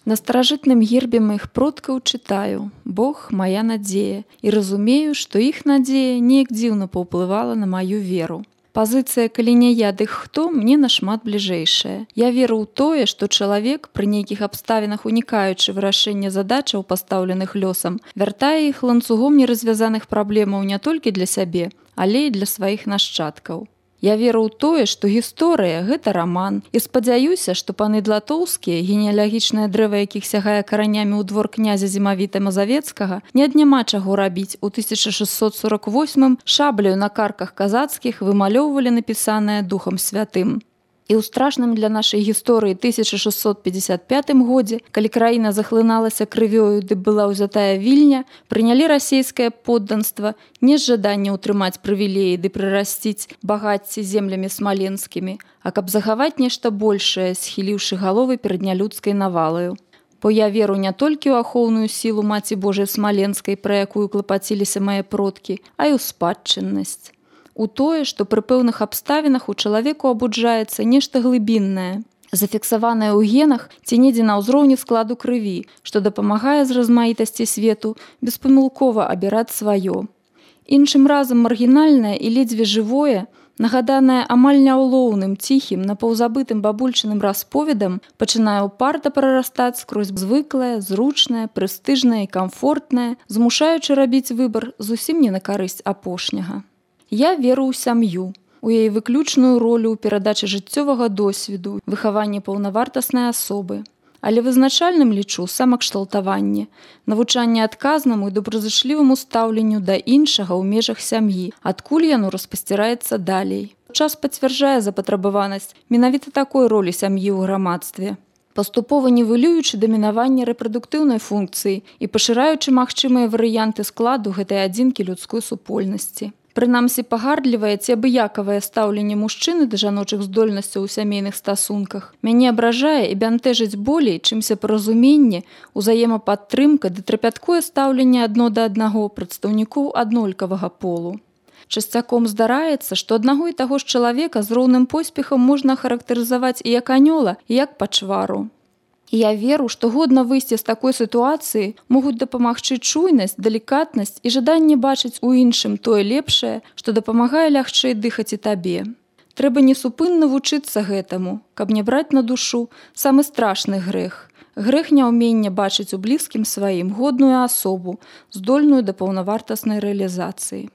На старажытным гербе маіх продкаў чытаю: Бог моя надзея, і разумею, што іх надзея неяк дзіўна паўплывала на маю веру. Пазіцыя «калі не я, дык хто» мне нашмат бліжэйшая. Я веру ў тое, што чалавек, пры нейкіх абставінах унікаючы вырашэння задачаў, пастаўленых лёсам, вяртае іх ланцугом неразвязаных праблемаў не толькі для сябе, але і для сваіх нашчадкаў. Я веру ў тое, што гісторыя – гэта раман, і спадзяюся, што паны Длатоўскія, генеалагічнае дрэва якіх сягае каранямі ў двор князя Зімавіта Мазавецкага, не ад няма чаго рабіць. У 1648 шабляю на карках казацкіх вымалёўвалі напісанае Духам Святым. І ў страшным для нашай гісторыі 1655 годзе, калі краіна захлыналася крывёю ды была ўзятая Вільня, прынялі расейскае подданства не з жадання ўтрымаць прывілеі ды прырасціць багацці землямі смаленскімі, а каб захаваць нешта большае, схіліўшы галовы перад нялюдскай навалаю. Бо я веру не толькі ў ахоўную сілу Маці Божай Смаленскай, пра якую клапаціліся мае продкі, а і ў спадчыннасць. У тое, што пры пэўных абставінах у чалавеку абуджаецца нешта глыбіннае, зафіксаванае ў генах ці недзе на ўзроўні складу крыві, што дапамагае з размаітасці свету беспамылкова абіраць сваё. Іншым разам маргінальнае і ледзьве жывое, нагаданае амаль няўлоўным, ціхім, напаўзабытым бабульчыным расповедам, пачынае ўпарта прарастаць скрозь звыклае, зручнае, прэстыжнае і камфортнае, змушаючы рабіць выбар зусім не на карысць апошняга. Я веру ў сям'ю, у яе выключную ролю ў перадачы жыццёвага досведу, выхаванні паўнавартаснай асобы. Але вызначальным лічу самакшталтаванне, навучанне адказнаму і добразычліваму стаўленню да іншага ў межах сям'і, адкуль яно распасціраецца далей. Час пацвярджае запатрабаванасць менавіта такой ролі сям'і ў грамадстве, паступова нівелюючы дамінаванне рэпрадуктыўнай функцыі і пашыраючы магчымыя варыянты складу гэтай адзінкі людской супольнасці. Прынамсі, пагардлівае ці абыякавае стаўленне мужчыны да жаночых здольнасцяў у сямейных стасунках мяне абражае і бянтэжыць болей, чымся паразуменне, узаемападтрымка ды трапяткое стаўленне адно да аднаго прадстаўнікоў аднолькавага полу. Часцяком здараецца, што аднаго і таго ж чалавека з роўным поспехам можна характарызаваць і як анёла, і як пачвару. І я веру, што годна выйсці з такой сітуацыі могуць дапамагчы чуйнасць, далікатнасць і жаданне бачыць у іншым тое лепшае, што дапамагае лягчэй дыхаць і табе. Трэба несупынна вучыцца гэтаму, каб не браць на душу самы страшны грэх. Грэх няўмення бачыць у блізкім сваім годную асобу, здольную да паўнавартаснай рэалізацыі.